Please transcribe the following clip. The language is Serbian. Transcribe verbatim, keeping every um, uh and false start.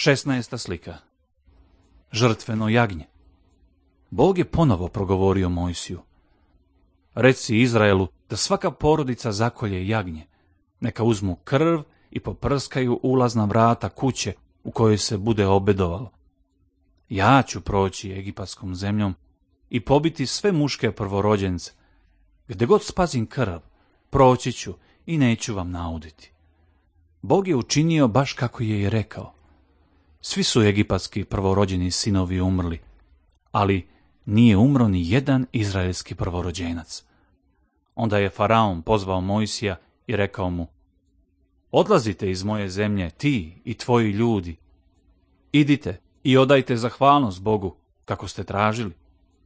Šesnaesta slika. Žrtveno jagnje. Bog je ponovo progovorio Mojsiju. Reci Izraelu da svaka porodica zakolje jagnje. Neka uzmu krv i poprskaju ulazna vrata kuće u kojoj se bude obedovalo. Ja ću proći egipatskom zemljom i pobiti sve muške prvorođence. Gde god spazim krv, proći ću i neću vam nauditi. Bog je učinio baš kako je i rekao. Svi su egipatski prvorođeni sinovi umrli, ali nije umro ni jedan izraelski prvorođenac. Onda je Faraon pozvao Mojsija i rekao mu: Odlazite iz moje zemlje, ti i tvoji ljudi. Idite i odajte zahvalnost Bogu, kako ste tražili.